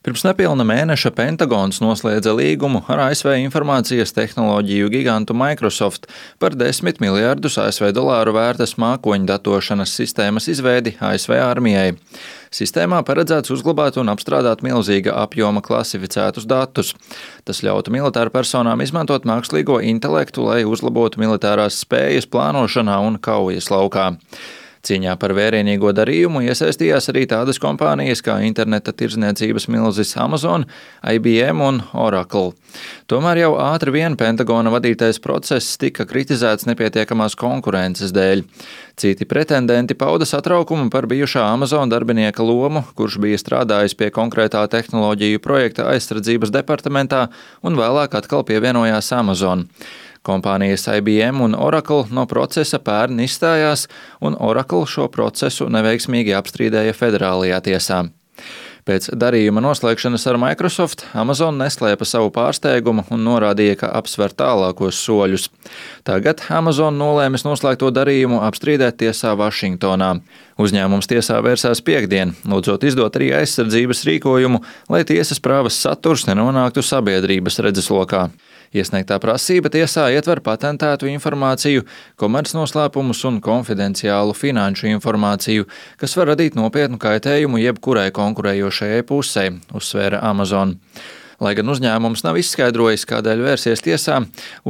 Pirms nepilna mēneša Pentagons noslēdza līgumu ar ASV informācijas tehnoloģiju gigantu Microsoft par $10 miljardus ASV vērtas mākoņu datošanas sistēmas izveidi ASV armijai. Sistēmā paredzēts uzglabāt un apstrādāt milzīga apjoma klasificētus datus. Tas ļautu militārpersonām izmantot mākslīgo intelektu, lai uzlabotu militārās spējas plānošanā un kaujas laukā. Cīņā par vērienīgo darījumu iesaistījās arī tādas kompānijas kā interneta tirdzniecības milzis Amazon, IBM un Oracle. Tomēr jau ātri vien Pentagona vadītais process tika kritizēts nepietiekamās konkurences dēļ. Citi pretendenti pauda satraukumu par bijušā Amazon darbinieka lomu, kurš bija strādājis pie konkrētā tehnoloģiju projekta aizsardzības departamentā un vēlāk atkal pievienojās Amazon. Kompānijas IBM un Oracle no procesa pērn izstājās, un Oracle šo procesu neveiksmīgi apstrīdēja federālajā tiesā. Pēc darījuma noslēgšanas ar Microsoft Amazon neslēpa savu pārsteigumu un norādīja, ka apsver tālākos soļus. Tagad Amazon nolēmis noslēgto darījumu apstrīdēt tiesā Vašingtonā. Uzņēmums tiesā vērsās piektdien, lūdzot izdot arī aizsardzības rīkojumu, lai tiesas prāvas saturs nenonāktu sabiedrības redzeslokā. Iesniegtā prasība tiesā ietver patentētu informāciju, komercnoslēpumus un konfidenciālu finanšu informāciju, kas var radīt nopietnu kaitējumu jebkurai konkurējošajai pusē, uzsvēra Amazon. Lai gan uzņēmums nav izskaidrojis, kādēļ vērsies tiesā,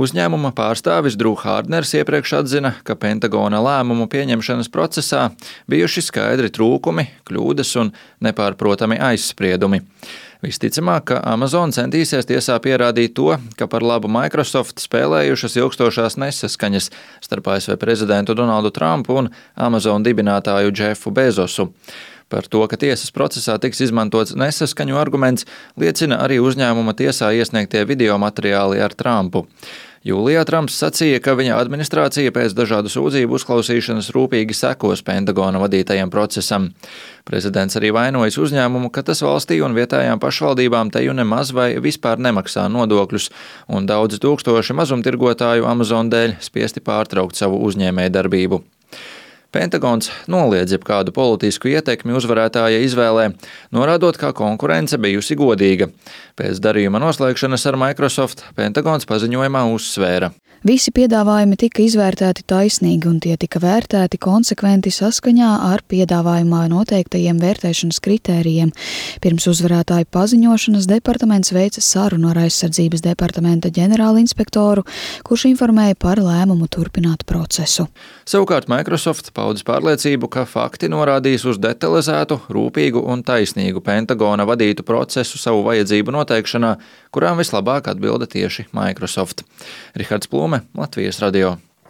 uzņēmuma pārstāvis Drew Hardners iepriekš atzina, ka Pentagona lēmumu pieņemšanas procesā bijuši skaidri trūkumi, kļūdas un nepārprotami aizspriedumi. Visticamāk, ka Amazon centīsies tiesā pierādīt to, ka par labu Microsoft spēlējušas ilgstošās nesaskaņas starp ASV prezidentu Donaldu Trumpu un Amazon dibinātāju Jeffu Bezosu. Par to, ka tiesas procesā tiks izmantots nesaskaņu arguments, liecina arī uzņēmuma tiesā iesniegtie video materiāli ar Trumpu. Jūlijā Trumps sacīja, ka viņa administrācija pēc dažādu sūdzību uzklausīšanas rūpīgi sekos Pentagona vadītajam procesam. Prezidents arī vainojas uzņēmumu, ka tas valstī un vietējām pašvaldībām teju nemaz vai vispār nemaksā nodokļus, un daudzi tūkstoši mazumtirgotāju Amazon dēļ spiesti pārtraukt savu uzņēmējdarbību. Pentagons noliedz jebkādu politisku ietekmi uzvarētāja izvēlē, norādot, ka konkurence bijusi godīga. Pēc darījuma noslēgšanas ar Microsoft Pentagons paziņojumā uzsvēra: Visi piedāvājumi tika izvērtēti taisnīgi un tie tika vērtēti konsekventi saskaņā ar piedāvājumā noteiktajiem vērtēšanas kritērijiem. Pirms uzvarētāju paziņošanas departaments veica sarunu ar aizsardzības departamenta ģenerālinspektoru, kurš informēja par lēmumu turpināt procesu. Savukārt Microsoft paudis pārliecību, ka fakti norādīs uz detalizētu, rūpīgu un taisnīgu Pentagona vadītu procesu savu vajadzību noteikšanā, kurām vislabāk atbilda tieši Microsoft. Rihards Plūme, Latvijas radio.